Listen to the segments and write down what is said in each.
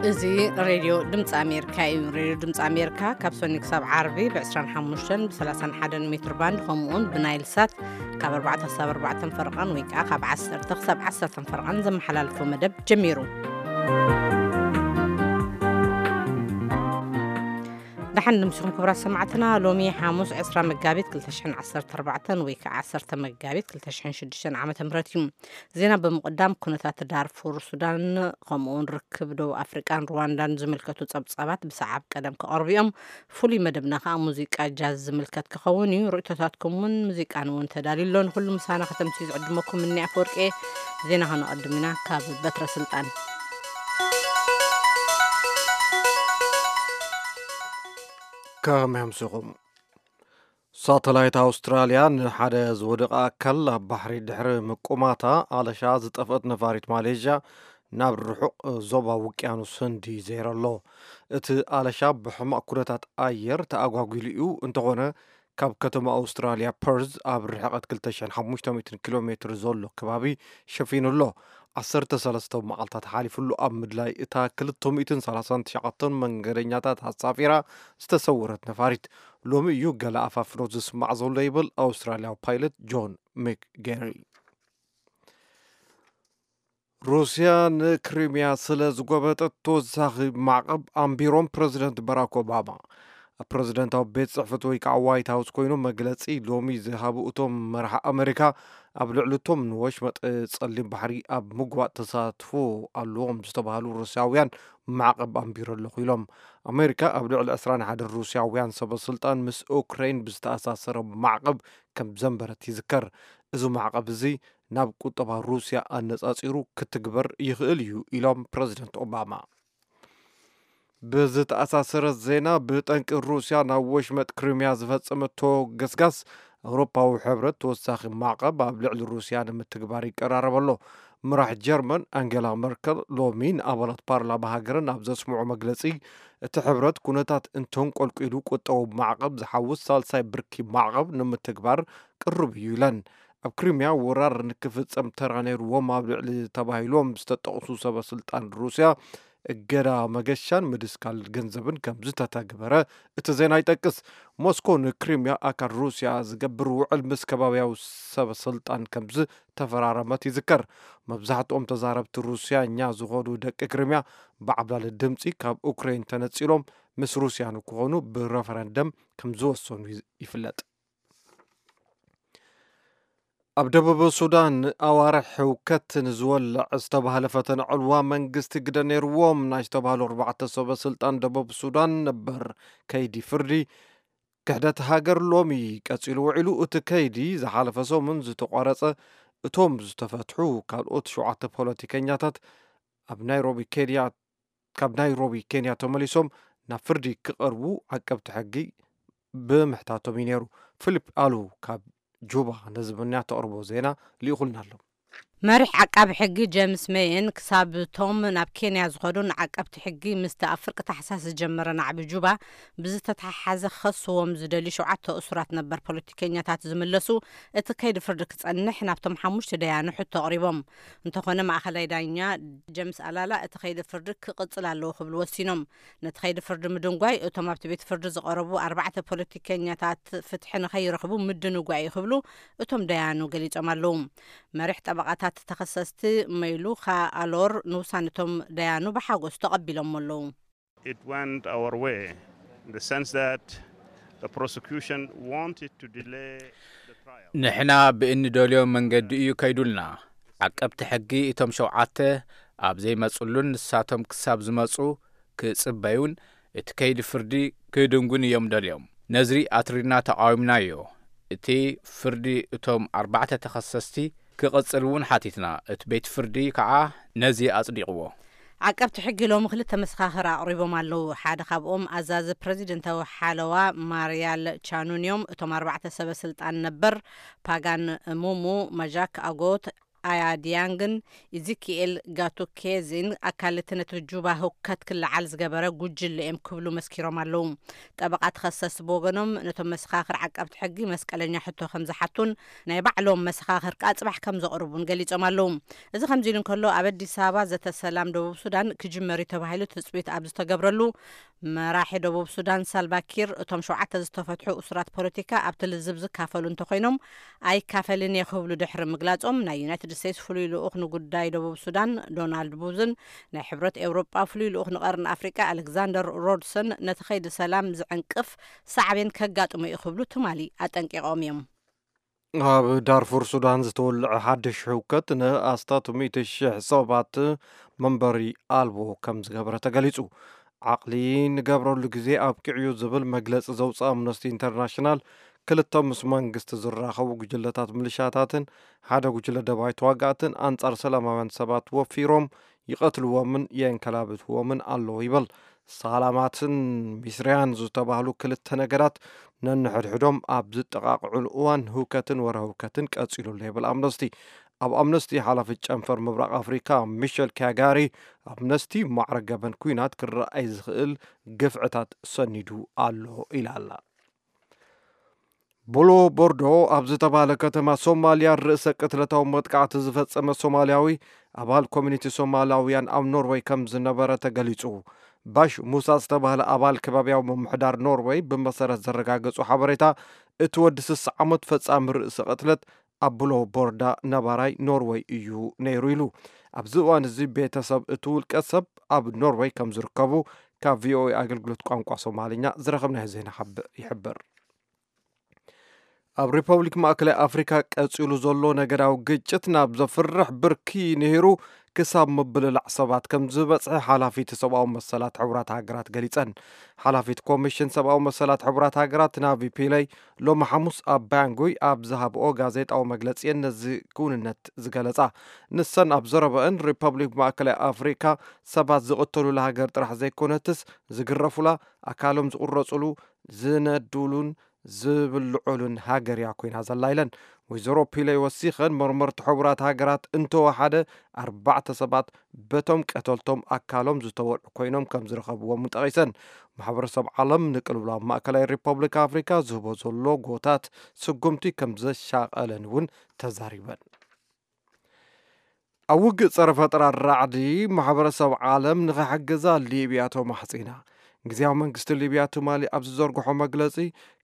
እዚ ሬድዮ ድምፂ ኣሜሪካ እዩ። ሬድዮ ድምፂ ኣሜሪካ ካብ ሰኒ ክሳብ ዓርቢ ብ25 ብ31 ሜትር ባንድ፣ ከምኡውን ብናይል ሳት ካብ ኣርባዕተ ክሳብ ኣርባዕተ ፈርቐን ወይ ከዓ ካብ ዓሰርተ ክሳብ ዓሰርተ ፈርቐን ዘመሓላልፎ መደብ ጀሚሩ። ደሓን ንምስኹም ክቡራት ሰማዕትና። ሎሚ ሓሙስ ዕስራ መጋቢት ክልተ ሽሕን ዓሰርተ ኣርባዕተን ወይ ከዓ ዓሰርተ መጋቢት ክልተ ሽሕን ሽዱሽተን ዓመተ ምህረት እዩ። ዜና ብምቕዳም፣ ኩነታት ዳርፉር ሱዳን፣ ከምኡውን ርክብ ደቡብ ኣፍሪቃን ሩዋንዳን ዝምልከቱ ጸብጻባት ብሰዓብ ቀደም ክቐርቡ እዮም። ፍሉይ መደብና ከዓ ሙዚቃ ጃዝ ዝምልከት ክኸውን እዩ። ርእይቶታትኩም እውን ሙዚቃን እውን ተዳልዩ ኣሎ። ንኩሉ ምሳና ከተምስዩ ዝዕድመኩም እኒ ኣፈወርቂ። ዜና ከነቐድም ኢና ካብ በትረ ስልጣን። ከመይ ኣምሲኹም? ሳተላይት ኣውስትራልያ ንሓደ ዝወደቐ ኣካል ኣብ ባሕሪ ድሕሪ ምቁማታ፣ ኣለሻ ዝጠፍአት ነፋሪት ማሌዥያ ናብ ርሑቕ ዞባ ውቅያኖስ ህንዲ ዘይረ ኣሎ። እቲ ኣለሻ ብሕማቕ ኩነታት ኣየር ተኣጓጒሉ እዩ። እንተኾነ፣ ካብ ከተማ ኣውስትራልያ ፐርዝ ኣብ ርሕቐት ክልተ ሽሕን ሓሙሽተ ሚእትን ኪሎ ሜትር ዘሎ ከባቢ ሸፊኑ ኣሎ። ዓሰርተ ሰለስተ መዓልታት ሓሊፉሉ ኣብ ምድላይ እታ ክልተ ሚእትን ሰላሳን ትሽዓተን መንገደኛታት ኣሳፊራ ዝተሰወረት ነፋሪት፣ ሎሚ እዩ ገለ ኣፋፍኖት ዝስማዕ ዘሎ፣ ይብል ኣውስትራልያዊ ፓይለት ጆን ሚክጌሪ። ሩስያ ንክሪሚያ ስለ ዝጎበጠት ተወሳኺ ማዕቐብ ኣንቢሮም ፕረዚደንት ባራክ ኦባማ። ኣብ ፕረዚደንታዊ ቤት ጽሕፈት ወይ ከዓ ዋይት ሃውስ ኮይኖም መግለጺ ሎሚ ዝሃቡ እቶም መራሒ ኣመሪካ፣ ኣብ ልዕሊ እቶም ንወሽመጥ ጸሊም ባሕሪ ኣብ ምግባእ ተሳትፎ ኣለዎም ዝተባህሉ ሩስያውያን ማዕቐብ ኣንቢሩ ኣለኹ ኢሎም። ኣመሪካ ኣብ ልዕሊ ዕስራን ሓደን ሩስያውያን ሰበ ስልጣን ምስ ኡክራይን ብዝተኣሳሰረ ማዕቐብ ከም ዘንበረት ይዝከር። እዚ ማዕቐብ እዚ ናብ ቁጠባ ሩስያ ኣነጻጺሩ ክትግበር ይኽእል እዩ ኢሎም ፕረዚደንት ኦባማ። ብዝተኣሳሰረ ዜና፣ ብጠንቂ ሩስያ ናብ ወሽመጥ ክሪሚያ ዝፈጸመቶ ገስጋስ፣ ኣውሮፓዊ ሕብረት ተወሳኺ ማዕቐብ ኣብ ልዕሊ ሩስያ ንምትግባር ይቀራረብ ኣሎ። ምራሕ ጀርመን ኣንጌላ መርከል ሎሚ ንኣባላት ፓርላማ ሃገረን ኣብ ዘስምዖ መግለጺ፣ እቲ ሕብረት ኩነታት እንተንቆልቂሉ ቁጠባዊ ማዕቐብ ዝሓውስ ሳልሳይ ብርኪ ማዕቐብ ንምትግባር ቅሩብ እዩ ኢለን። ኣብ ክሪሚያ ወራር ንክፍጸም ተራ ነይርዎም ኣብ ልዕሊ ተባሂሎም ዝተጠቕሱ ሰበ ስልጣን ሩስያ፣ እገዳ መገሻን ምድስካል ገንዘብን ከም ዝተተግበረ እቲ ዜና ይጠቅስ። ሞስኮ ንክሪምያ ኣካል ሩስያ ዝገብር ውዕል ምስ ከባቢያዊ ሰበ ስልጣን ከም ዝተፈራረመት ይዝከር። መብዛሕትኦም ተዛረብቲ ሩስያኛ ዝኾኑ ደቂ ክሪምያ ብዓብላሊ ድምፂ ካብ ኡክሬን ተነፂሎም ምስ ሩስያ ንክኾኑ ብረፈረንደም ከም ዝወሰኑ ይፍለጥ። ኣብ ደቡብ ሱዳን ኣዋርሕ ህውከት ንዝወልዕ ዝተባህለ ፈተነ ዕልዋ መንግስቲ ግደ ነይርዎም ናይ ዝተባህሉ ኣርባዕተ ሰበ ስልጣን ደቡብ ሱዳን ነበር ከይዲ ፍርዲ ክሕደት ሃገር ሎሚ ቀጺሉ ውዒሉ። እቲ ከይዲ ዝሓለፈ ሰሙን ዝተቋረጸ እቶም ዝተፈትሑ ካልኦት ሸውዓተ ፖለቲከኛታት ኣብ ናይሮቢ ኬንያ ካብ ናይሮቢ ኬንያ ተመሊሶም ናብ ፍርዲ ክቐርቡ ዓቀብቲ ሕጊ ብምሕታቶም እዩ ነይሩ። ፊሊፕ ኣሉ ካብ ጁባ ነዚ ብንያ ተቕርቦ ዜና ልኢኹልና ኣሎ። መሪሕ ዓቃቢ ሕጊ ጀምስ ሜየን ክሳብ እቶም ናብ ኬንያ ዝኸዱ ንዓቀብቲ ሕጊ ምስቲ ኣብ ፍርቂ ታሕሳስ ዝጀመረ ናዕቢ ጁባ ብዝተተሓሓዘ ክኸስዎም ዝደልዩ ሸውዓተ እሱራት ነበር ፖለቲከኛታት ዝምለሱ፣ እቲ ከይዲ ፍርዲ ክጸንሕ ናብቶም ሓሙሽተ ደያኑ ሕቶ ኣቕሪቦም። እንተኾነ ማእኸላይ ዳኛ ጀምስ ኣላላ እቲ ከይዲ ፍርዲ ክቕጽል ኣለዎ ክብሉ ወሲኖም። ነቲ ከይዲ ፍርዲ ምድንጓይ እቶም ኣብቲ ቤት ፍርዲ ዝቐረቡ ኣርባዕተ ፖለቲከኛታት ፍትሒ ንኸይረኽቡ ምድንጓይ እዩ ክብሉ እቶም ደያኑ ገሊጾም ኣለዉ። መሪሕ ጠበቓታት ተኸሰስቲ መይሉኻ ኣሎር ንውሳነቶም ደያኑ ብሓጎስ ተቐቢሎሞ ኣለዉ። It went our way in the sense that the prosecution wanted to delay the trial. ንሕና ብእንደልዮ መንገዲ እዩ ከይዱልና። ዓቀብቲ ሕጊ እቶም ሸውዓተ ኣብ ዘይመጽሉን ንሳቶም ክሳብ ዝመጹ ክጽበዩን እቲ ከይዲ ፍርዲ ክድንጉን እዮም ደልዮም። ነዚ ኣትሪርና ተቓዊምናዮ። እቲ ፍርዲ እቶም ኣርባዕተ ተኸሰስቲ ክቕጽል እውን ሓቲትና። እቲ ቤት ፍርዲ ከዓ ነዚ ኣጽዲቕዎ። ዓቀብቲ ሕጊ ሎሚ ክልተ መሰኻኽር ኣቕሪቦም ኣለዉ። ሓደ ካብኦም ኣዛዚ ፕረዚደንታዊ ሓለዋ ማርያል ቻኑን እዮም። እቶም ኣርባዕተ ሰበ ስልጣን ነበር ፓጋን ሙሙ፣ ማጃክ ኣጎት፣ ኣያድያንግን ኢዚኪኤል ጋቱኬዚን ኣካልቲ ነቲ ጁባ ህውከት ክለዓል ዝገበረ ጉጅለ እዮም ክብሉ መስኪሮም ኣለዉ። ጠበቓ ተኸሰስ ብወገኖም፣ ነቶም መሰኻኽር ዓቀብቲ ሕጊ መስቀለኛ ሕቶ ከም ዝሓቱን ናይ ባዕሎም መሰኻኽር ከኣ ጽባሕ ከም ዘቕርቡን ገሊጾም ኣለዉ። እዚ ከምዚ ኢሉ እንከሎ፣ ኣብ ኣዲስ ኣበባ ዘተ ሰላም ደቡብ ሱዳን ክጅመር እዩ ተባሂሉ ትጽቢት ኣብ ዝተገብረሉ፣ መራሒ ደቡብ ሱዳን ሳልቫ ኪር፣ እቶም ሸውዓተ ዝተፈትሑ እሱራት ፖለቲካ ኣብቲ ልዝብ ዝካፈሉ እንተኾይኖም፣ ኣይካፈልን እየ ክብሉ ድሕሪ ምግላጾም፣ ናይ ዩናይትድ ስቴትስ ፍሉይ ልኡኽ ንጉዳይ ደቡብ ሱዳን ዶናልድ ቡዝን ናይ ሕብረት ኤውሮጳ ፍሉይ ልኡኽ ንቐርኒ ኣፍሪቃ ኣሌክዛንደር ሮድሰን፣ ነቲ ከይዲ ሰላም ዝዕንቅፍ ሳዕቤን ከጋጥሞ እዩ ክብሉ ትማሊ ኣጠንቂቖም እዮም። ኣብ ዳርፉር ሱዳን ዝተወልዐ ሓድሽ ህውከት ንኣስታት ሚእቲ ሽሕ ሰባት መንበሪ ኣልቦ ከም ዝገበረ ተገሊጹ። ዓቕሊ ንገብረሉ ግዜ ኣብቂዑ ዝብል መግለጺ ዘውፅእ ኣምነስቲ ኢንተርናሽናል፣ ክልተ ምስ መንግስቲ ዝራኸቡ ጉጅለታት ምልሻታትን ሓደ ጉጅለ ደባይ ተዋጋእትን ኣንጻር ሰላማውያን ሰባት ወፊሮም ይቐትልዎምን የንከላብትዎምን ኣለዉ ይብል። ሳላማትን ሚስርያን ዝተባህሉ ክልተ ነገዳት ነንሕድሕዶም ኣብ ዝጠቓቕዑሉ እዋን ህውከትን ወረ ህውከትን ቀጺሉ ኣሎ ይብል ኣምነስቲ። ኣብ ኣምነስቲ ሓላፊ ጨንፈር ምብራቕ ኣፍሪካ ሚሸል ኪያጋሪ፣ ኣምነስቲ ማዕረ ገበን ኩናት ክረኣይ ዝኽእል ግፍዕታት ሰኒዱ ኣሎ ኢላ ኣላ። ቡሎ ቦርዶ ኣብ ዝተባህለ ከተማ ሶማልያ ርእሰ ቅትለታዊ መጥቃዕቲ ዝፈጸመ ሶማልያዊ ኣባል ኮሚኒቲ ሶማላውያን ኣብ ኖርወይ ከም ዝነበረ ተገሊጹ። ባሽ ሙሳ ዝተባህለ ኣባል ከባቢያዊ ምምሕዳር ኖርወይ ብመሰረት ዘረጋገጹ ሓበሬታ፣ እቲ ወዲ ስሳ ዓመት ፈጻሚ ርእሰ ቅትለት ኣብ ቡሎ ቦርዳ ነባራይ ኖርወይ እዩ ነይሩ ኢሉ። ኣብዚ እዋን እዚ ቤተሰብ እቲ ውልቀ ሰብ ኣብ ኖርወይ ከም ዝርከቡ ካብ ቪኦኤ ኣገልግሎት ቋንቋ ሶማልኛ ዝረኸብናዮ ዜና ሓብ- ይሕብር። ኣብ ሪፐብሊክ ማእከላይ ኣፍሪካ ቀጺሉ ዘሎ ነገዳዊ ግጭት ናብ ዘፍርሕ ብርኪ ንሂሩ ክሳብ ምብልላዕ ሰባት ከም ዝበጽሐ ሓላፊት ሰብኣዊ መሰላት ሕቡራት ሃገራት ገሊጸን። ሓላፊት ኮሚሽን ሰብኣዊ መሰላት ሕቡራት ሃገራት ናቪ ፒለይ ሎሚ ሓሙስ ኣብ ባንጉይ ኣብ ዝሃብኦ ጋዜጣዊ መግለጺ እየን ነዚ ክውንነት ዝገለጻ። ንሰን ኣብ ዘረበአን ሪፐብሊክ ማእከላይ ኣፍሪካ ሰባት ዝቕተሉላ ሃገር ጥራሕ ዘይኮነትስ ዝግረፉላ፣ ኣካሎም ዝቑረጹሉ፣ ዝነዱሉን ዝብልዑሉን ሃገር እያ ኮይና ዘላ ኢለን። ወይዘሮ ፒለይ ወሲኸን መርመርቲ ሕቡራት ሃገራት እንተወሓደ ኣርባዕተ ሰባት በቶም ቀተልቶም ኣካሎም ዝተወልዑ ኮይኖም ከም ዝረኸብዎም እውን ጠቒሰን። ማሕበረሰብ ዓለም ንቅልውላው ማእከላይ ሪፐብሊክ ኣፍሪካ ዝህቦ ዘሎ ጎታት ስጉምቲ ከም ዘሻቐለን እውን ተዛሪበን። ኣብ ውግእ ጸረ ፈጠራ ራዕዲ ማሕበረሰብ ዓለም ንኽሕግዛ ሊብያ ተማሕጺና። ግዝያዊ መንግስቲ ሊብያ ትማሊ ኣብ ዝዘርግሖ መግለጺ፣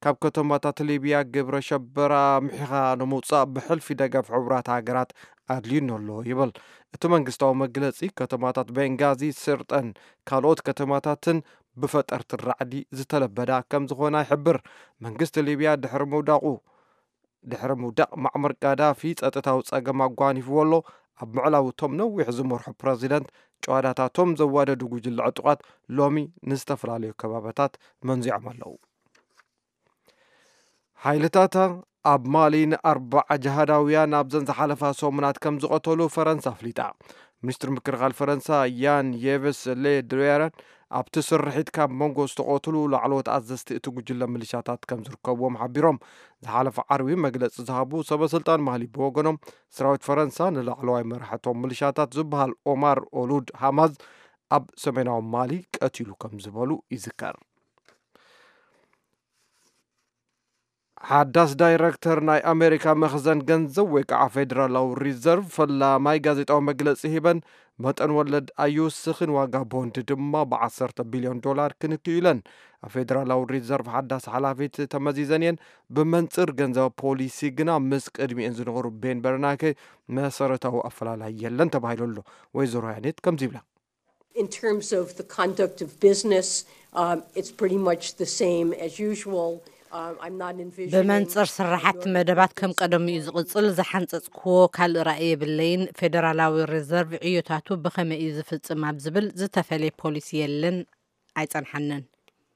ካብ ከተማታት ሊብያ ግብረ ሸበራ ምሒኻ ንምውጻእ ብሕልፊ ደገፍ ሕቡራት ሃገራት ኣድልዩኒ ኣሎ ይብል። እቲ መንግስታዊ መግለጺ፣ ከተማታት ቤንጋዚ፣ ስርጠን ካልኦት ከተማታትን ብፈጠርቲ ራዕዲ ዝተለበዳ ከም ዝኾና ይሕብር። መንግስቲ ሊብያ ድሕሪ ምውዳቑ ድሕሪ ምውዳቕ ማዕመር ጋዳፊ ጸጥታዊ ጸገም ኣጓኒፍዎ ኣሎ። ኣብ ምዕላው እቶም ነዊሕ ዝመርሑ ፕረዚደንት፣ ጨዋዳታቶም ዘዋደዱ ጉጅለ ዕጡቓት ሎሚ ንዝተፈላለዩ ከባቢታት መንዚዖም ኣለዉ። ሓይልታታ ኣብ ማሊ ንኣርባዓ ጅሃዳውያን ኣብዘን ዝሓለፋ ሰሙናት ከም ዝቐተሉ ፈረንሳ ኣፍሊጣ። ሚኒስትሪ ምክልኻል ፈረንሳ ያን የቭስ ሌ ድሪየረን ኣብቲ ስርሒት ካብ መንጎ ዝተቐትሉ ላዕለዎት ኣዘዝቲ እቲ ጉጅለ ምልሻታት ከም ዝርከብዎም ሓቢሮም። ዝሓለፈ ዓርቢ መግለጺ ዝሃቡ ሰበ ስልጣን ማሊ ብወገኖም፣ ሰራዊት ፈረንሳ ንላዕለዋይ መራሒ እቶም ምልሻታት ዝበሃል ኦማር ኦሉድ ሃማዝ ኣብ ሰሜናዊ ማሊ ቀቲሉ ከም ዝበሉ ይዝከር። ሓዳስ ዳይረክተር ናይ ኣሜሪካ መኽዘን ገንዘብ ወይ ከዓ ፌዴራላዊ ሪዘርቭ ፈላማይ ጋዜጣዊ መግለፂ ሂበን፣ መጠን ወለድ ኣይውስኽን፣ ዋጋ ቦንድ ድማ ብዓሰርተ ቢልዮን ዶላር ክንክዩ ኢለን። ኣብ ፌዴራላዊ ሪዘርቭ ሓዳስ ሓላፊት ተመዚዘን እየን። ብመንፅር ገንዘብ ፖሊሲ ግና ምስ ቅድሚኤን ዝነበሩ ቤን በርናኬ መሰረታዊ ኣፈላላይ የለን ተባሂሉ ኣሎ። ወይዘሮ ያኔት ከምዚ ይብላ። In terms of the conduct of business, um, it's pretty much the same as usual. Um, I'm not envisioning ብመንፅር ስራሓት መደባት ከም ቀደሙ እዩ ዝቕፅል። ዝሓንፀፅክዎ ካልእ ራእይ የብለይን። ፌደራላዊ ሪዘርቭ ዕዮታቱ ብኸመይ እዩ ዝፍፅም ኣብ ዝብል ዝተፈለየ ፖሊሲ የለን፣ ኣይፀንሓንን።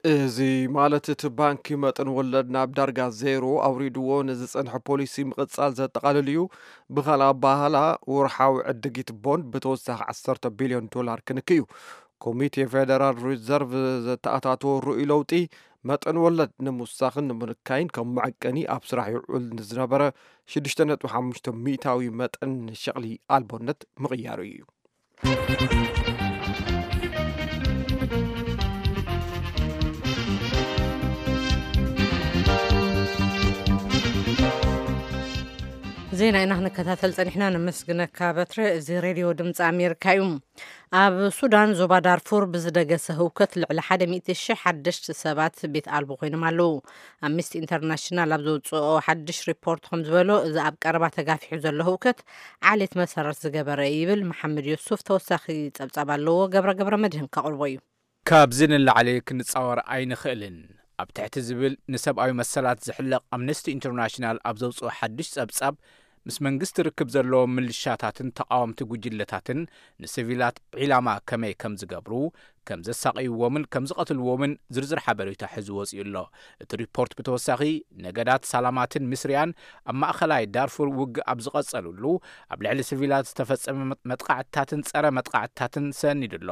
እዚ ማለት እቲ ባንኪ መጠን ወለድ ናብ ዳርጋ ዜሮ ኣውሪድዎ ንዝፀንሐ ፖሊሲ ምቕፃል ዘጠቓልል እዩ። ብኻልእ ኣባህላ፣ ወርሓዊ ዕድጊት ቦንድ ብተወሳኺ ዓሰርተ ቢልዮን ዶላር ክንክይ እዩ። ኮሚቴ ፌደራል ሪዘርቭ ዘተኣታተዎ ርኡይ ለውጢ መጠን ወለድ ንምውሳኽን ንምንካይን ከም መዐቀኒ ኣብ ስራሕ ይውዕል ንዝነበረ ሽዱሽተ ነጥቢ ሓሙሽተ ሚእታዊ መጠን ሸቕሊ ኣልቦነት ምቕያሩ እዩ። ዜና ኢና ክንከታተል ጸኒሕና። ነመስግነካ በትረ። እዚ ሬድዮ ድምፂ ኣሜሪካ እዩ። ኣብ ሱዳን ዞባ ዳርፉር ብዝደገሰ ህውከት ልዕሊ ሓደ ሚእቲ ሺሕ ሓደሽቲ ሰባት ቤት ኣልቦ ኮይኖም ኣለዉ። ኣምነስቲ ኢንተርናሽናል ኣብ ዘውፅኦ ሓድሽ ሪፖርት ከም ዝበሎ፣ እዚ ኣብ ቀረባ ተጋፊሑ ዘሎ ህውከት ዓሌት መሰረት ዝገበረ ይብል። መሓመድ ዮሱፍ ተወሳኺ ጸብጻብ ኣለዎ። ገብረ ገብረ መድህን ከቕርቦ እዩ። ካብዚ ንላዕሊ ክንጻወር ኣይንኽእልን። ኣብ ትሕቲ ዝብል ንሰብኣዊ መሰላት ዝሕለቕ ኣምነስቲ ኢንተርናሽናል ኣብ ዘውፅኦ ሓድሽ ጸብጻብ፣ ምስ መንግስቲ ርክብ ዘለዎም ምልሻታትን ተቓወምቲ ጉጅለታትን ንሲቪላት ዒላማ ከመይ ከም ዝገብሩ፣ ከም ዘሳቕይዎምን ከም ዝቐትልዎምን ዝርዝር ሓበሬታ ሒዙ ወጺኡ ኣሎ። እቲ ሪፖርት ብተወሳኺ፣ ነገዳት ሳላማትን ምስርያን ኣብ ማእኸላይ ዳርፉር ውግእ ኣብ ዝቐጸሉሉ፣ ኣብ ልዕሊ ሲቪላት ዝተፈጸመ መጥቃዕትታትን ጸረ መጥቃዕትታትን ሰኒዱ ኣሎ።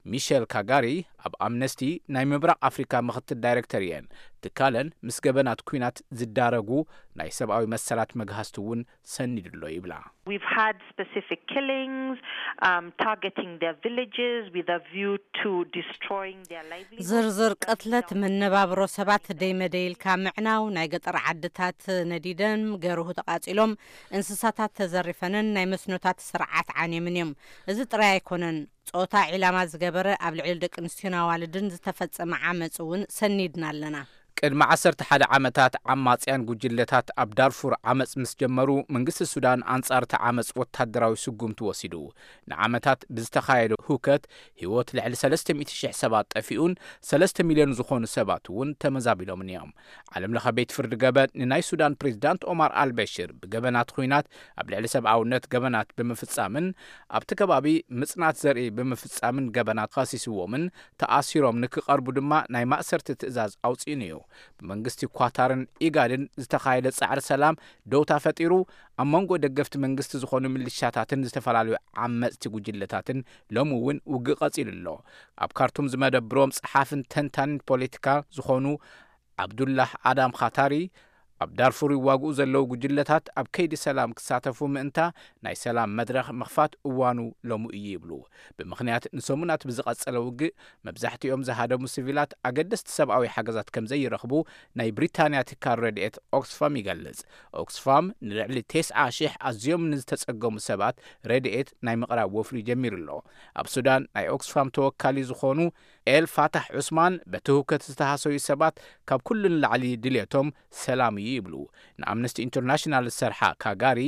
ሚሸል ካጋሪ ኣብ ኣምነስቲ ናይ ምብራቕ ኣፍሪካ ምኽትል ዳይሬክተር እየን። ትካለን ምስ ገበናት ኲናት ዝዳረጉ ናይ ሰብኣዊ መሰላት መግሃስቲ እውን ሰኒዱ ኣሎ ይብላ። We've had specific killings, um, targeting their villages with a view to destroying their livelihoods. ዝርዝር ቅትለት፣ መነባብሮ ሰባት ደይመደይልካ ምዕናው፣ ናይ ገጠር ዓድታት ነዲደን ገርሁ ተቓጺሎም፣ እንስሳታት ተዘሪፈንን ናይ መስኖታት ስርዓት ዓንየምን እዮም። እዚ ጥራይ ኣይኮነን። ጾታ ዒላማ ዝገበረ ኣብ ልዕሊ ደቂ ኣንስትዮን ኣዋልድን ዝተፈጸመ ዓመጽ እውን ሰኒድና ኣለና። ቅድሚ ዓሰርተ ሓደ ዓመታት ዓማጽያን ጉጅለታት ኣብ ዳርፉር ዓመጽ ምስ ጀመሩ፣ መንግስቲ ሱዳን ኣንጻር እቲ ዓመጽ ወታደራዊ ስጉምቲ ወሲዱ። ንዓመታት ብዝተኻየደ ሁከት ህይወት ልዕሊ ሰለስተ ሚእቲ ሺሕ ሰባት ጠፊኡን ሰለስተ ሚልዮን ዝኾኑ ሰባት እውን ተመዛቢሎምን እዮም። ዓለም ለኸ ቤት ፍርዲ ገበን ንናይ ሱዳን ፕሬዚዳንት ኦማር ኣልበሽር ብገበናት ኹናት፣ ኣብ ልዕሊ ሰብኣውነት ገበናት ብምፍጻምን ኣብቲ ከባቢ ምጽናት ዘርኢ ብምፍጻምን ገበናት ኸሲስዎምን ተኣሲሮም ንክቐርቡ ድማ ናይ ማእሰርቲ ትእዛዝ ኣውጺኡን እዩ። ብመንግስቲ ኳታርን ኢጋድን ዝተኻየደ ጻዕሪ ሰላም ደውታ ፈጢሩ፣ ኣብ መንጎ ደገፍቲ መንግስቲ ዝኾኑ ሚሊሻታትን ዝተፈላለዩ ዓመጽቲ ጉጅለታትን ሎሚ እውን ውግእ ቀጺሉ ኣሎ። ኣብ ካርቱም ዝመደብሮም ጸሓፍን ተንታንን ፖለቲካ ዝኾኑ ዓብዱላህ ኣዳም ኻታሪ፣ ኣብ ዳርፉር ይዋግኡ ዘለዉ ጉጅለታት ኣብ ከይዲ ሰላም ክሳተፉ ምእንታ ናይ ሰላም መድረኽ ምኽፋት እዋኑ ሎሚ እዩ ይብሉ። ብምኽንያት ንሰሙናት ብዝቐጸለ ውግእ መብዛሕትኦም ዝሃደሙ ሲቪላት ኣገደስቲ ሰብኣዊ ሓገዛት ከም ዘይረኽቡ ናይ ብሪታንያ ትካል ረድኤት ኦክስፋም ይገልጽ። ኦክስፋም ንልዕሊ ተስዓ ሺሕ ኣዝዮም ንዝተጸገሙ ሰባት ረድኤት ናይ ምቕራብ ወፍሪ ጀሚሩ ኣሎ። ኣብ ሱዳን ናይ ኦክስፋም ተወካሊ ዝኾኑ ኤል ፋታሕ ዑስማን፣ በቲ ህውከት ዝተሃሰዩ ሰባት ካብ ኩሉ ንላዕሊ ድልየቶም ሰላም እዩ ይብሉ። ንኣምነስቲ ኢንተርናሽናል ዝሰርሓ ካጋሪ፣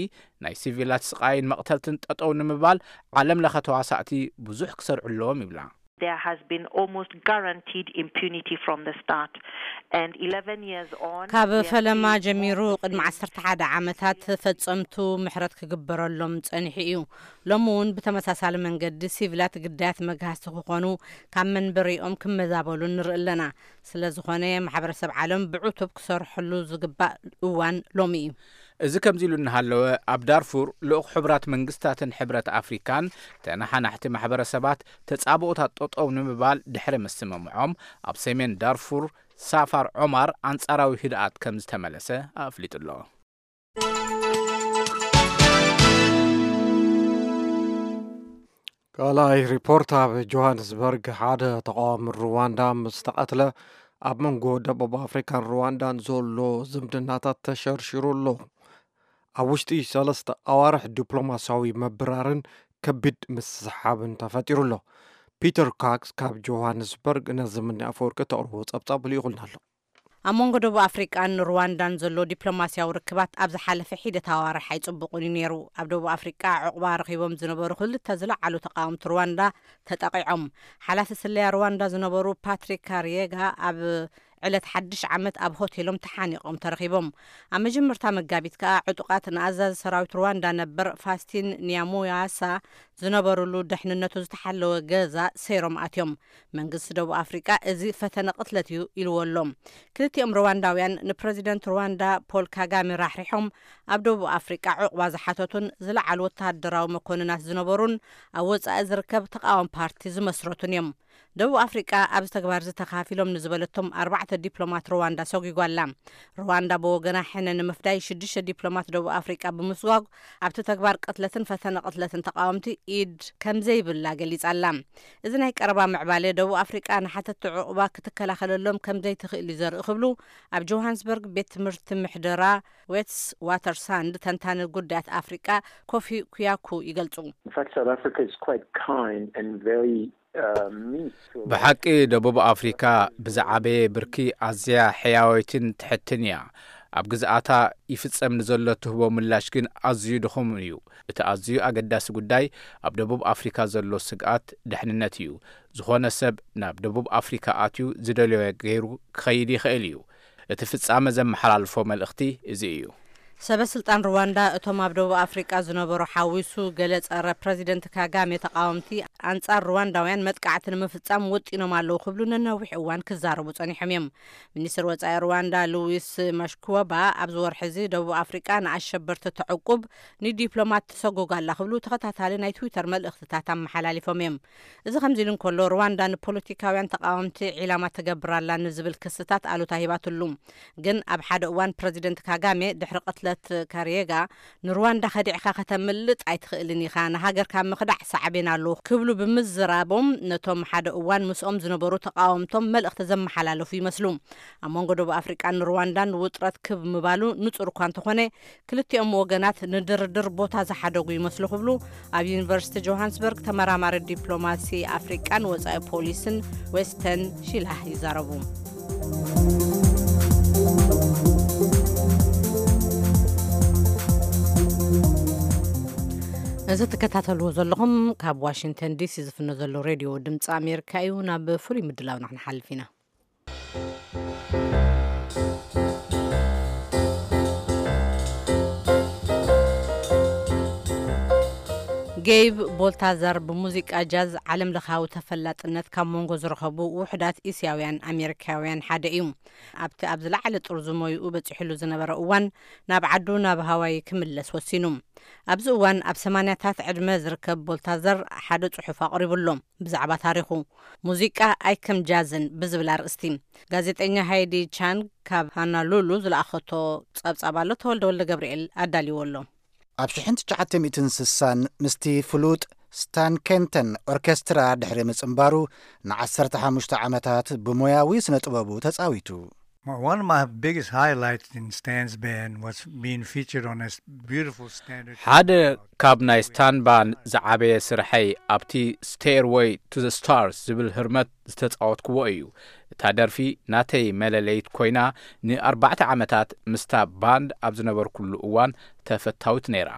ናይ ሲቪላት ስቓይን መቕተልትን ጠጠው ንምባል ዓለም ለኸ ተዋሳእቲ ብዙሕ ክሰርሑ ኣለዎም ይብላ። There has been almost guaranteed impunity from the start. And eleven years on, ካብ we have ፈለማ seen ጀሚሩ more of the ቅድሚ same. ዓሰርተ ሓደ ዓመታት ፈጸምቱ ምሕረት ክግበረሎም ጸኒሑ እዩ። ሎሚ እውን ብተመሳሳሊ መንገዲ ሲቪላት ግዳያት መግሃስቲ ክኾኑ፣ ካብ መንበሪኦም ክመዛበሉ ንርኢ ኣለና። ስለ ዝኾነ ማሕበረሰብ ዓለም ብዕቱብ ክሰርሐሉ ዝግባእ እዋን ሎሚ እዩ። እዚ ከምዚ ኢሉ እናሃለወ፣ ኣብ ዳርፉር ልኡኽ ሕቡራት መንግስታትን ሕብረት ኣፍሪካን ተነሓናሕቲ ማሕበረሰባት ተጻብኦታት ጠጠው ንምባል ድሕሪ ምስምምዖም፣ ኣብ ሰሜን ዳርፉር ሳፋር ዖማር ኣንጻራዊ ህድኣት ከም ዝተመለሰ ኣፍሊጡ ኣሎ። ካልኣይ ሪፖርት፣ ኣብ ጆሃንስበርግ ሓደ ተቃዋሚ ሩዋንዳ ምስ ተቐትለ፣ ኣብ መንጎ ደቡብ ኣፍሪካን ሩዋንዳን ዘሎ ዝምድናታት ተሸርሺሩ ኣሎ። ኣብ ውሽጢ ሰለስተ ኣዋርሕ ዲፕሎማሲያዊ ምብራርን ከቢድ ምስሕሓብን ተፈጢሩ ኣሎ። ፒተር ካክስ ካብ ጆሃንስበርግ ነዚ ምኒ ኣፈወርቂ ተቕርቦ ጸብጻብ ልኢኹልና ኣሎ። ኣብ መንጎ ደቡብ ኣፍሪቃን ሩዋንዳን ዘሎ ዲፕሎማሲያዊ ርክባት ኣብ ዝሓለፈ ሒደት ኣዋርሕ ኣይጽቡቕን እዩ ነይሩ። ኣብ ደቡብ ኣፍሪቃ ዕቑባ ረኺቦም ዝነበሩ ክልተ ዝለዓሉ ተቃወምቲ ሩዋንዳ ተጠቒዖም። ሓላፊ ስለያ ሩዋንዳ ዝነበሩ ፓትሪክ ካሪየጋ ኣብ ዕለት ሓድሽ ዓመት ኣብ ሆቴሎም ተሓኒቖም ተረኺቦም። ኣብ መጀመርታ መጋቢት ከኣ ዕጡቓት ንኣዛዚ ሰራዊት ሩዋንዳ ነበር ፋስቲን ኒያሙያሳ ዝነበሩሉ ድሕንነቱ ዝተሓለወ ገዛ ሰይሮም ኣትዮም። መንግስቲ ደቡብ ኣፍሪቃ እዚ ፈተነ ቅትለት እዩ ኢልዎ ኣሎ። ክልቲኦም ሩዋንዳውያን ንፕረዚደንት ሩዋንዳ ፖል ካጋሜ ራሕሪሖም ኣብ ደቡብ ኣፍሪቃ ዕቑባ ዝሓተቱን ዝለዓሉ ወተሃደራዊ መኮንናት ዝነበሩን ኣብ ወጻኢ ዝርከብ ተቓዋሚ ፓርቲ ዝመስረቱን እዮም። ደቡብ ኣፍሪቃ ኣብዚ ተግባር እዚ ተኻፊሎም ንዝበለቶም ኣርባዕተ ዲፕሎማት ሩዋንዳ ሰጒጓ ኣላ። ሩዋንዳ ብወገና ሕነ ንምፍዳይ ሽዱሽተ ዲፕሎማት ደቡብ ኣፍሪቃ ብምስጓግ ኣብቲ ተግባር ቅትለትን ፈተነ ቅትለትን ተቓወምቲ ኢድ ከም ዘይብላ ገሊጻ ኣላ። እዚ ናይ ቀረባ ምዕባለ ደቡብ ኣፍሪቃ ንሓተቲ ዕቑባ ክትከላኸለሎም ከም ዘይትኽእል እዩ ዘርኢ ክብሉ ኣብ ጆሃንስበርግ ቤት ትምህርቲ ምሕደራ ዌትስ ዋተርሳንድ ተንታኒ ጉዳያት ኣፍሪቃ ኮፊ ኩያኩ ይገልጹ። In fact, South Africa is quite kind and very uh, meek. ብሓቂ ደቡብ ኣፍሪካ ብዝዓበየ ብርኪ ኣዝያ ሕያወይትን ትሕትን እያ። ኣብ ግዝኣታ ይፍጸም ንዘሎ ትህቦ ምላሽ ግን ኣዝዩ ድኹም እዩ። እቲ ኣዝዩ ኣገዳሲ ጉዳይ ኣብ ደቡብ ኣፍሪካ ዘሎ ስግኣት ደሕንነት እዩ። ዝኾነ ሰብ ናብ ደቡብ ኣፍሪካ ኣትዩ ዝደለዮ ገይሩ ክኸይድ ይኽእል እዩ። እቲ ፍጻመ ዘመሓላልፎ መልእኽቲ እዚ እዩ። ሰበ ስልጣን ሩዋንዳ እቶም ኣብ ደቡብ ኣፍሪቃ ዝነበሩ ሓዊሱ ገለ ጸረ ፕረዚደንት ካጋሜ ተቃወምቲ ኣንጻር ሩዋንዳውያን መጥቃዕቲ ንምፍጻም ወጢኖም ኣለዉ ክብሉ ንነዊሕ እዋን ክዛረቡ ጸኒሖም እዮም። ሚኒስትር ወጻኢ ሩዋንዳ ሉዊስ ማሽኩወባ ኣብዚ ወርሒ እዚ ደቡብ ኣፍሪቃ ንኣሸበርቲ ተዕቁብ ንዲፕሎማት ትሰጎግ ኣላ ክብሉ ተኸታታሊ ናይ ትዊተር መልእኽትታት ኣመሓላሊፎም እዮም። እዚ ከምዚ ኢሉ እንከሎ ሩዋንዳ ንፖለቲካውያን ተቃወምቲ ዒላማ ትገብር ኣላ ንዝብል ክስታት ኣሉታ ሂባትሉ። ግን ኣብ ሓደ እዋን ፕረዚደንት ካጋሜ ድሕሪ ቅትለት ካሪየጋ ንሩዋንዳ ከዲዕካ ከተምልጥ ኣይትኽእልን ኢኻ፣ ንሃገርካ ምኽዳዕ ሳዕቤን ኣለዎ ክብሉ ብምዝራቦም ነቶም ሓደ እዋን ምስኦም ዝነበሩ ተቃወምቶም መልእኽቲ ዘመሓላለፉ ይመስሉ። ኣብ መንጎ ደቡብ ኣፍሪቃን ሩዋንዳን ውጥረት ክብ ምባሉ ንጹር እኳ እንተኾነ ክልቲኦም ወገናት ንድርድር ቦታ ዝሓደጉ ይመስሉ ክብሉ ኣብ ዩኒቨርሲቲ ጆሃንስበርግ ተመራማሪ ዲፕሎማሲ ኣፍሪቃን ወጻኢ ፖሊስን ዌስተን ሺላህ ይዛረቡ። እዚ ትከታተልዎ ዘለኹም ካብ ዋሽንግተን ዲሲ ዝፍኖ ዘሎ ሬድዮ ድምፂ ኣሜሪካ እዩ። ናብ ፍሉይ ምድላውና ክንሓልፍ ኢና። ጌይብ ቦልታዘር ብሙዚቃ ጃዝ ዓለም ለኻዊ ተፈላጥነት ካብ መንጎ ዝረኸቡ ውሑዳት እስያውያን ኣሜሪካውያን ሓደ እዩ። ኣብቲ ኣብ ዝለዓለ ጥርዙ ሞይኡ በፂሕሉ ዝነበረ እዋን ናብ ዓዱ ናብ ሃዋይ ክምለስ ወሲኑ። ኣብዚ እዋን ኣብ ሰማንያታት ዕድመ ዝርከብ ቦልታዘር ሓደ ጽሑፍ ኣቕሪቡ ኣሎ። ብዛዕባ ታሪኹ ሙዚቃ ኣይከም ጃዝን ብዝብል ኣርእስቲ ጋዜጠኛ ሃይዲ ቻንግ ካብ ሃናሉሉ ዝለኣኸቶ ጸብጻብ ኣሎ። ተወልደ ወልደ ገብርኤል ኣዳልዎ ኣሎ። ኣብ ሽሕን ትሽዓተ ሚእትን ስሳን ምስቲ ፍሉጥ ስታን ኬንተን ኦርኬስትራ ድሕሪ ምጽንባሩ ንዓሰርተ ሓሙሽተ ዓመታት ብሞያዊ ስነ ጥበቡ ተጻዊቱ። Well, one of my biggest highlights in Stan's band was being featured on this beautiful standard. ሓደ ካብ ናይ ስታን ባንድ ዝዓበየ ስርሐይ ኣብቲ Stairway to the Stars ዝብል ህርመት ዝተጻወትክዎ እዩ። እታ ደርፊ ናተይ መለለይት ኮይና ንኣርባዕተ ዓመታት ምስታ ባንድ ኣብ ዝነበርኩሉ እዋን ተፈታዊት ነይራ።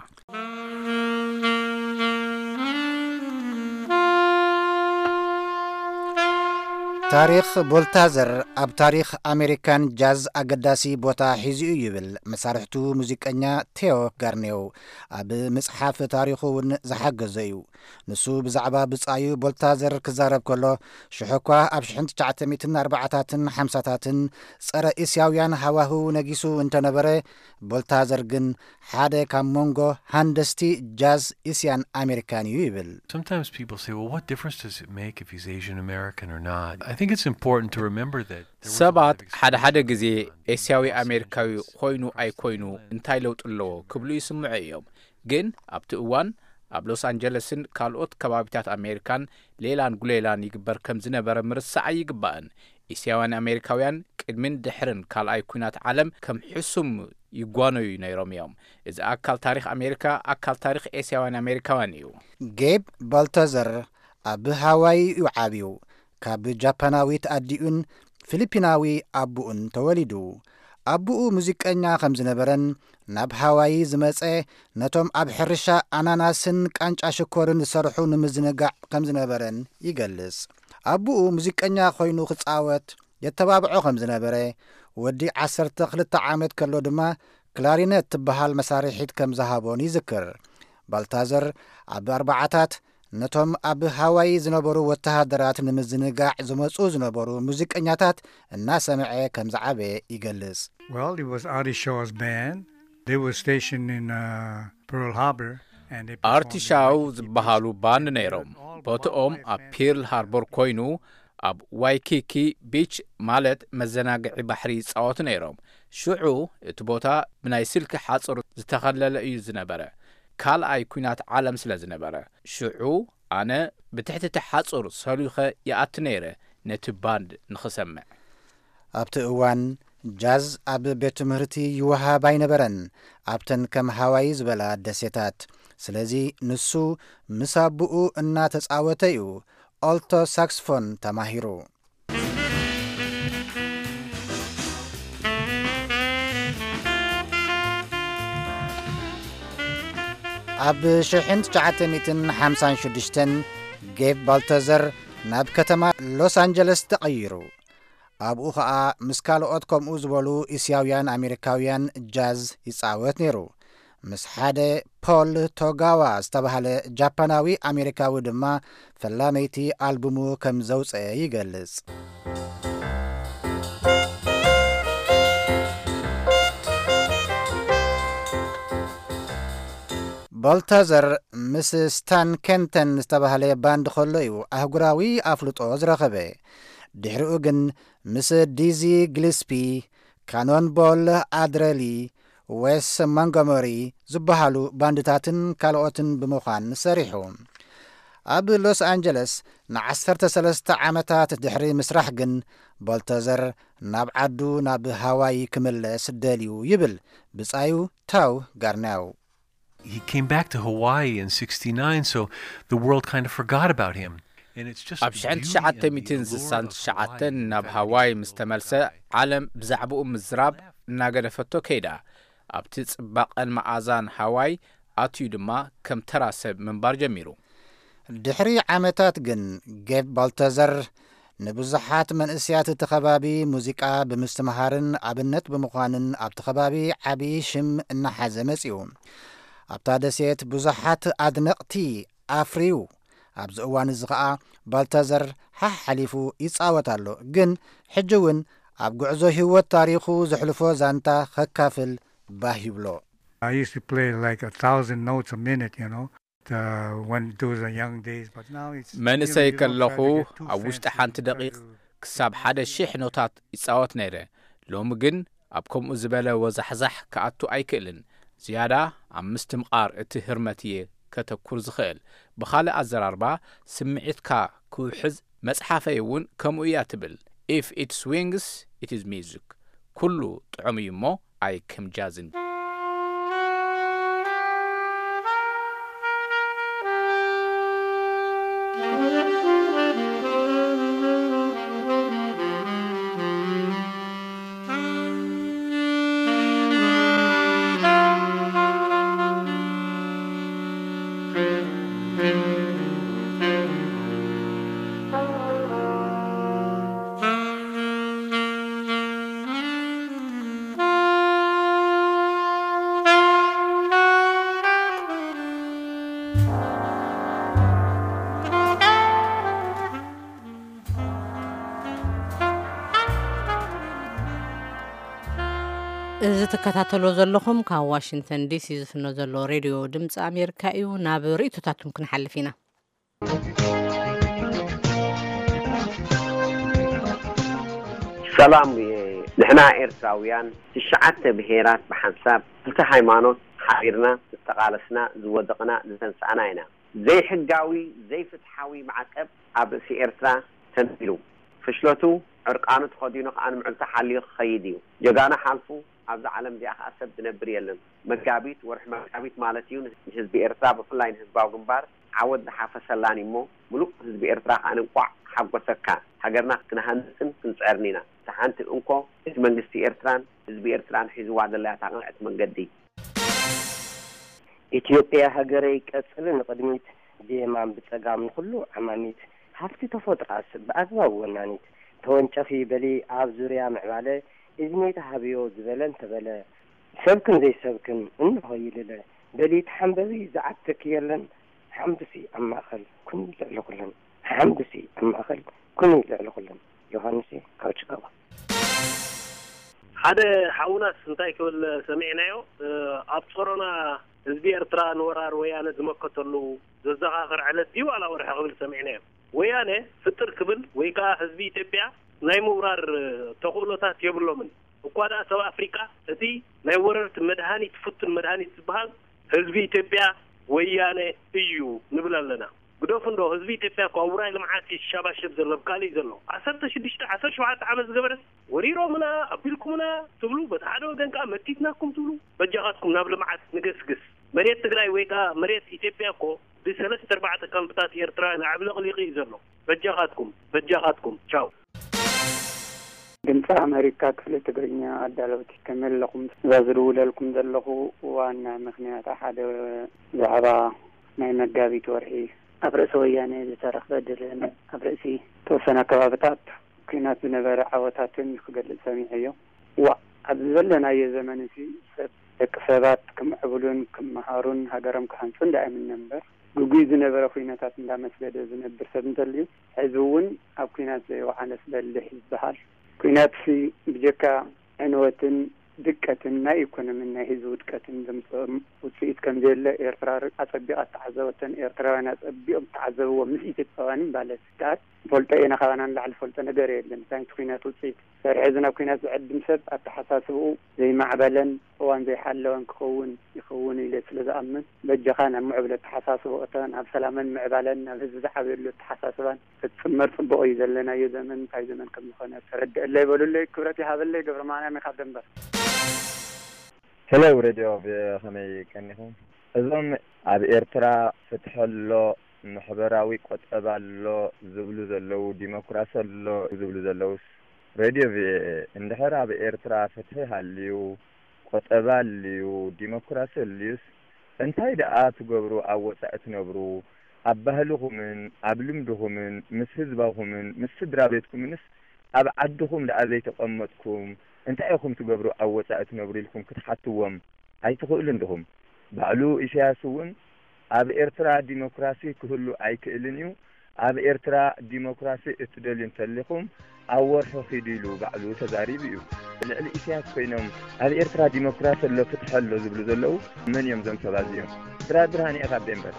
ታሪኽ ቦልታዘር ኣብ ታሪኽ ኣሜሪካን ጃዝ ኣገዳሲ ቦታ ሒዙ እዩ ይብል መሳርሕቱ ሙዚቀኛ ቴዮ ጋርኔው። ኣብ ምጽሓፍ ታሪኹ እውን ዝሓገዘ እዩ። ንሱ ብዛዕባ ብጻዩ ቦልታዘር ክዛረብ ከሎ፣ ሽሕኳ ኣብ ሽሕን ትሽዓተ ሚእትን ኣርባዓታትን ሓምሳታትን ጸረ እስያውያን ሃዋህው ነጊሱ እንተነበረ፣ ቦልታዘር ግን ሓደ ካብ መንጎ ሃንደስቲ ጃዝ እስያን ኣሜሪካን እዩ ይብል። Sometimes people say, "Well, what difference does it make if he's Asian American or not?" I think it's important to remember that there was a lot ሰባት of ሓደ ሓደ exclusion ግዜ going on in ኤስያዊ Los ኣሜሪካዊ Angeles. ኮይኑ ኣይኮይኑ እንታይ ለውጢ ኣለዎ ክብሉ ይስምዑ እዮም። ግን ኣብቲ እዋን ኣብ ሎስ ኣንጀለስን ካልኦት ከባቢታት ኣሜሪካን ሌላን ጉሌላን ይግበር ከም ዝነበረ ምርሳዕ ኣይግባእን። እስያውያን ኣሜሪካውያን ቅድሚን ድሕርን ካልኣይ ኩናት ዓለም ከም ሕሱም ይጓነዩ ነይሮም እዮም። እዚ ኣካል ታሪኽ ኣሜሪካ፣ ኣካል ታሪኽ ኤስያውያን ኣሜሪካውያን እዩ። ጌብ ባልታዘር ኣብ ሃዋይ እዩ ዓብዩ። ካብ ጃፓናዊት ኣዲኡን ፊሊፒናዊ ኣቡኡን ተወሊዱ። ኣቡኡ ሙዚቀኛ ከም ዝነበረን ናብ ሃዋይ ዝመጸ ነቶም ኣብ ሕርሻ ኣናናስን ቃንጫ ሽኮርን ዝሰርሑ ንምዝንጋዕ ከም ዝነበረን ይገልጽ። ኣቡኡ ሙዚቀኛ ኮይኑ ክጻወት የተባብዖ ከም ዝነበረ፣ ወዲ ዓሰርተ ክልተ ዓመት ከሎ ድማ ክላሪነት ትበሃል መሳርሒት ከም ዝሃቦን ይዝክር። ባልታዘር ኣብ ኣርባዓታት ነቶም ኣብ ሃዋይ ዝነበሩ ወተሃደራት ንምዝንጋዕ ዝመጹ ዝነበሩ ሙዚቀኛታት እናሰምዐ ከም ዝዓበየ ይገልጽ። Well, it was Artie Shaw's band. They were stationed in uh, Pearl Harbor and they ኣርቲሻው ዝበሃሉ ባንድ ነይሮም። ቦትኦም ኣብ ፒርል ሃርቦር ኮይኑ ኣብ ዋይኪኪ ቢች ማለት መዘናግዒ ባሕሪ ይጻወቱ ነይሮም። ሽዑ እቲ ቦታ ብናይ ስልኪ ሓጹር ዝተኸለለ እዩ ዝነበረ። ካልኣይ ኲናት ዓለም ስለ ዝነበረ ሽዑ ኣነ ብትሕቲ እቲ ሓጹር ሰሉኸ ይኣቲ ነይረ ነቲ ባንድ ንኽሰምዕ። ኣብቲ እዋን ጃዝ ኣብ ቤት ትምህርቲ ይወሃብ ኣይነበረን ኣብተን ከም ሃዋይ ዝበላ ደሴታት። ስለዚ ንሱ ምስ ኣቦኡ እናተጻወተ እዩ ኦልቶ ሳክስፎን ተማሂሩ። ኣብ ሽሕን ትሽዓተ ሚእትን ሓምሳን ሽዱሽተን ጌብ ባልተዘር ናብ ከተማ ሎስ ኣንጀለስ ተቐይሩ። ኣብኡ ኸኣ ምስ ካልኦት ከምኡ ዝበሉ እስያውያን ኣሜሪካውያን ጃዝ ይጻወት ነይሩ። ምስ ሓደ ፖል ቶጋዋ ዝተባህለ ጃፓናዊ ኣሜሪካዊ ድማ ፈላመይቲ ኣልቡሙ ከም ዘውጽአ ይገልጽ። ቦልተዘር ምስ ስታን ኬንተን ዝተባህለ ባንድ ከሎ እዩ ኣህጉራዊ ኣፍልጦ ዝረኸበ። ድሕሪኡ ግን ምስ ዲዚ ግሊስፒ፣ ካኖን ቦል ኣድረሊ፣ ዌስ ሞንጎመሪ ዝበሃሉ ባንድታትን ካልኦትን ብምዃን ሰሪሑ። ኣብ ሎስ ኣንጀለስ ንዓሰርተ ሰለስተ ዓመታት ድሕሪ ምስራሕ ግን ቦልተዘር ናብ ዓዱ ናብ ሃዋይ ክምለስ ደልዩ ይብል ብጻዩ ታው ጋርናው። He came back to Hawaii in sixty-nine, so the world kind of forgot about him. And it's just ኣብ ሽሕን ትሽዓተ ሚእትን ስሳን ትሽዓተን ናብ ሃዋይ ምስ ተመልሰ ዓለም ብዛዕባኡ ምዝራብ እናገደፈቶ ከይዳ። ኣብቲ ጽባቐን መኣዛን ሃዋይ ኣትዩ ድማ ከም ተራ ሰብ ምንባር ጀሚሩ። ድሕሪ ዓመታት ግን ጌብ ባልተዘር ንብዙሓት መንእስያት እቲ ከባቢ ሙዚቃ ብምስትምሃርን ኣብነት ብምዃንን ኣብቲ ከባቢ ዓቢ ሽም እናሓዘ መጺኡ። ኣብታ ደሴት ብዙሓት ኣድነቕቲ ኣፍርዩ። ኣብዚ እዋን እዚ ኸኣ ባልተዘር ሓሕ ሓሊፉ ይጻወት ኣሎ። ግን ሕጂ እውን ኣብ ጉዕዞ ህይወት ታሪኹ ዘሕልፎ ዛንታ ኸካፍል ባህ ይብሎ። I used to play like a thousand notes a minute, you know, uh, when those are young days. But now it's መንእሰይ ከለኹ ኣብ ውሽጢ ሓንቲ ደቂቕ ክሳብ ሓደ ሺሕ ኖታት ይጻወት ነይረ። ሎሚ ግን ኣብ ከምኡ ዝበለ ወዛሕዛሕ ክኣቱ ኣይክእልን። ዝያዳ ኣብ ምስትምቓር እቲ ህርመት እየ ከተኩር ዝኽእል። ብኻልእ ኣዘራርባ ስምዒትካ ክውሕዝ መጽሓፈይ እውን ከምኡ እያ ትብል። If it swings, it is music። ኩሉ ጥዑም እዩ እሞ ኣይከም ጃዝን። እዚ ትከታተሎ ዘለኹም ካብ ዋሽንግተን ዲሲ ዝፍኖ ዘሎ ሬድዮ ድምፂ ኣሜሪካ እዩ። ናብ ርእይቶታትኩም ክንሓልፍ ኢና። ሰላም። ንሕና ኤርትራውያን ትሽዓተ ብሄራት ብሓንሳብ ክልተ ሃይማኖት ሓቢርና ዝተቓለስና ዝወደቕና ዝተንሳእና ኢና። ዘይሕጋዊ ዘይፍትሓዊ ማዕቀብ ኣብ ርእሲ ኤርትራ ተንቢሩ። ፍሽለቱ ዕርቃኑ ተኸዲኑ ከኣ ንምዕልታ ሓልዩ ክኸይድ እዩ። ጀጋኑ ሓልፉ ኣብዛ ዓለም እዚኣ ከኣ ሰብ ዝነብር የለን። መጋቢት ወርሒ መጋቢት ማለት እዩ ንህዝቢ ኤርትራ ብፍላይ ንህዝባዊ ግንባር ዓወት ዝሓፈሰላን እሞ ምሉእ ህዝቢ ኤርትራ ከኣ እንቋዕ ሓጎሰካ። ሃገርና ክንሃንጽን ክንጽዕርን ኢና። እታ ሓንቲ እንኮ እቲ መንግስቲ ኤርትራን ህዝቢ ኤርትራን ሒዝዋ ዘለያ እታ ቅንዕቲ መንገዲ። ኢትዮጵያ ሃገረይ ቀጽሊ ንቕድሚት ብየማን ብጸጋም ንኹሉ ዓማሚት ሃፍቲ ተፈጥሮኣስ ብኣግባብ ወናኒት ተወንጨፊ በሊ ኣብ ዙርያ ምዕባለ እዝኒ ተሃብዮ ዝበለ እንተበለ ሰብክን ዘይሰብክን እንሆ ይልለ በሊ ተሓንበቢ ዝዓትክ የለን ሓምዱሲ ኣብ ማእኸል ኩኒ ልዕሊ ኩለን ሓምዱሲ ኣብ ማእኸል ኩኒ ልዕሊ ኩለን ዮሃንሲ ካብ ችካጎ። ሓደ ሓውናስ እንታይ ክብል ሰሚዕናዮ? ኣብ ጾሮና ህዝቢ ኤርትራ ንወራር ወያነ ዝመከተሉ ዘዘኻኽር ዕለት ድዩ ዋላ ወርሒ ክብል ሰሚዕናዮ። ወያነ ፍጥር ክብል ወይ ከኣ ህዝቢ ኢትዮጵያ ናይ ምውራር ተኽእሎታት የብሎምን። እኳ ደኣ ሰብ ኣፍሪቃ እቲ ናይ ወረርቲ መድሃኒት፣ ፍቱን መድሃኒት ዝበሃል ህዝቢ ኢትዮጵያ ወያነ እዩ ንብል ኣለና። ግደፉ እንዶ፣ ህዝቢ ኢትዮጵያ እኮ ኣብ ውራይ ልምዓት ይሻባሸብ ዘሎ፣ ኣብ ካልእ እዩ ዘሎ። ዓሰርተ ሽዱሽተ ዓሰርተ ሸውዓተ ዓመት ዝገበረስ ወሪሮምና፣ ኣቢልኩምና ትብሉ፣ በቲ ሓደ ወገን ከኣ መቲትናኩም ትብሉ። በጃኻትኩም ናብ ልምዓት ንገስግስ። መሬት ትግራይ ወይ ከኣ መሬት ኢትዮጵያ እኮ ብሰለስተ ኣርባዕተ ካምፕታት ኤርትራውያን ኣዕብለቕሊቑ እዩ ዘሎ። በጃኻትኩም፣ በጃኻትኩም። ቻው። ድምፂ ኣመሪካ ክፍሊ ትግርኛ ኣዳለውቲ፣ ከመይ ኣለኹም? እዛ ዝድውለልኩም ዘለኹ ዋና ምኽንያት ሓደ ብዛዕባ ናይ መጋቢት ወርሒ ኣብ ርእሲ ወያነ ዝተረኽበ ድልን ኣብ ርእሲ ተወሰነ ከባብታት ኲናት ዝነበረ ዓወታትን ክገልጽ ሰሚዐዮ። ዋእ፣ ኣብዚ ዘለናዮ ዘመን እዚ ሰብ፣ ደቂ ሰባት ክምዕብሉን ክመሃሩን ሃገሮም ክሃንጹን ደኣ ይምነ እምበር፣ ግጉይ ዝነበረ ኲነታት እንዳመስገደ ዝነብር ሰብ እንተልዩ፣ ሕዚ እውን ኣብ ኲናት ዘይወዓለስ በሊሕ ይበሃል። ኲናትሲ ብጀካ ዕንወትን ድቀትን ናይ ኢኮኖሚን ናይ ህዝቢ ውድቀትን ዘምጽኦም ውጽኢት ከም ዘየለ ኤርትራ ኣጸቢቓ እተዓዘበቶን ኤርትራውያን ኣጸቢቖም እተዓዘብዎ ምስ ኢትዮጵያውያንን ማለት ከኣ ንፈልጦ ኢና፣ ካባና ንላዕሊ ዝፈልጦ ነገር የለን። እንታይ እቲ ኲናት ውጽኢት ድሕሪ ሕዚ ናብ ኲናት ዝዕድም ሰብ ኣተሓሳስብኡ ዘይማዕበለን እዋን ዘይሓለወን ክኸውን ይኸውን ኢለ ስለ ዝኣምን፣ በጃኻ ናብ ምዕቡል ኣተሓሳስባ እቶ፣ ናብ ሰላምን ምዕባለን፣ ናብ ህዝቢ ዝዓብየሉ ኣተሓሳስባን ክትጽመር ጽቡቕ እዩ። ዘለናዮ ዘመን እንታይ ዘመን ከም ዝኾነ ተረድአለይ በሉለይ። ክብረት ይሃበለይ። ገብረ ማርያም እየ ካብ ደንበር። ሄሎ ሬድዮ ቪኦኤ፣ ከመይ ቀኒኹም? እዞም ኣብ ኤርትራ ፍትሒ ኣሎ፣ ማሕበራዊ ቁጠባ ኣሎ ዝብሉ ዘለዉ፣ ዲሞክራሲ ኣሎ ዝብሉ ዘለዉስ፣ ሬድዮ ቪኦኤ፣ እንድሕር ኣብ ኤርትራ ፍትሒ ሃልዩ፣ ቁጠባ ኣልዩ፣ ዲሞክራሲ ኣልዩስ፣ እንታይ ደኣ ትገብሩ ኣብ ወጻኢ ትነብሩ? ኣብ ባህልኹምን ኣብ ልምድኹምን ምስ ህዝባኹምን ምስ ስድራ ቤትኩምንስ ኣብ ዓድኹም ደኣ ዘይተቐመጥኩም እንታይ ኢኹም ትገብሩ ኣብ ወጻኢ ትነብሩ ኢልኩም ክትሓትዎም ኣይትኽእሉን ዲኹም? ባዕሉ ኢሳያስ እውን ኣብ ኤርትራ ዲሞክራሲ ክህሉ ኣይክእልን እዩ፣ ኣብ ኤርትራ ዲሞክራሲ እትደልዩ እንተሊኹም ኣብ ወርሑ ኺዱ ኢሉ ባዕሉ ተዛሪቡ እዩ። ልዕሊ ኢሳያስ ኮይኖም ኣብ ኤርትራ ዲሞክራሲ ኣሎ ፍትሒ ኣሎ ዝብሉ ዘለዉ መን እዮም እዞም ሰባት እዚኦም? ድራር ብርሃነ ኢኻ ኣብ ዴንቨር።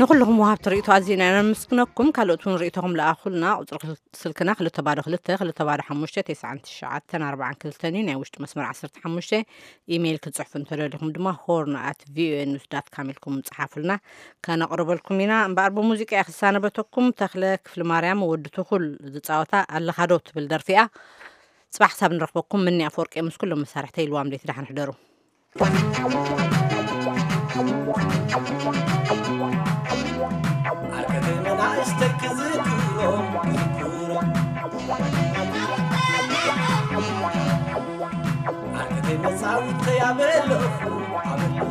ንኹልኹም ወሃብቲ ርእይቶ ኣዚና ኢና ነመስግነኩም። ካልኦት እውን ርእይቶኹም ለኣኹልና። ቁጽሪ ስልክና ክልተ ባዶ ክልተ፣ ክልተ ባዶ ሓሙሽተ፣ ተስዓን ትሽዓተን ኣርባዓን ክልተን እዩ። ናይ ውሽጢ መስመር ዓሰርተ ሓሙሽተ። ኢሜይል ክትጽሕፉ እንተደሊኹም ድማ ሆርን ኣት ቪኦኤ ኒውስ ዳት ካም ኢልኩም ጽሓፉልና፣ ከነቕርበልኩም ኢና። እምበኣር ብሙዚቃ እየ ክሳነበተኩም። ተኽለ ክፍሊ ማርያም ወዲ ትኹል ዝጻወታ ኣለኻዶ ትብል ደርፊ እያ። ጽባሕ ክሳብ ንረኽበኩም፣ ምኒ ኣፈወርቂ ምስ ኩሎም መሳርሕተይ ኢልዋም ለይቲ ደሓን ሕደሩ። ዓርከይ መናእሰይ ክዝክሮም፣ ክዝክሮም። ዓርከይ መጻውተይ ኣበለኹ፣ ኣበለኹ።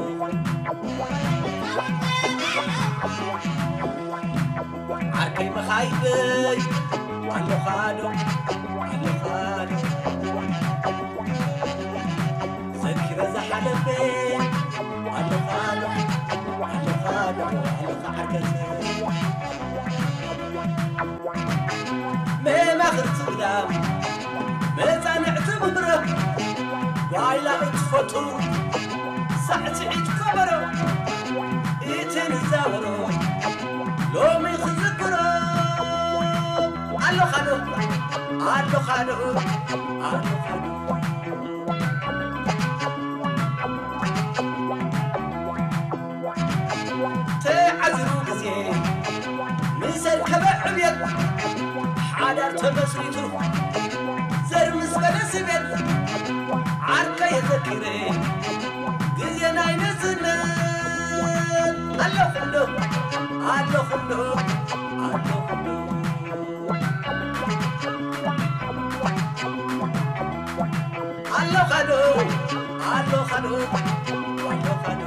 ዓርከይ መኻይደይ ኣለኻዶ፣ ኣለኻዶ። ዘኪረ ዝሓለፈ ኣለኻዶ፣ ኣለኻዶ፣ ኣለኻ ዓርከይ። መማኽርቲ ግዳም፣ መጻንዕቲ ምብረ፣ ጓይላ እትፈቱ፣ ሳዕስዒት ከበሮ፣ እቲ ንዛወሮ፣ ሎሚ ክዝክሮ፣ ኣለኻዶ፣ ኣለኻዶ፣ ኣለኻዶ። ተዓዚሩ ግዜ ምስ ኣርከበ ዕብየት፣ ሓዳር ተመስሪቱ ዘር ምስ በለ ስቤት፣ ዓርከየ ዘኪረ ግዜ ናይ ንእስነት፣ ኣለኹ ዶ፣ ኣለኹ ዶ፣ ኣለኹ ዶ። ኣለኻዶ፣ ኣለኻዶ፣ ኣለኻዶ።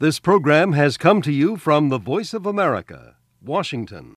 This program has come to you from the Voice of America, Washington.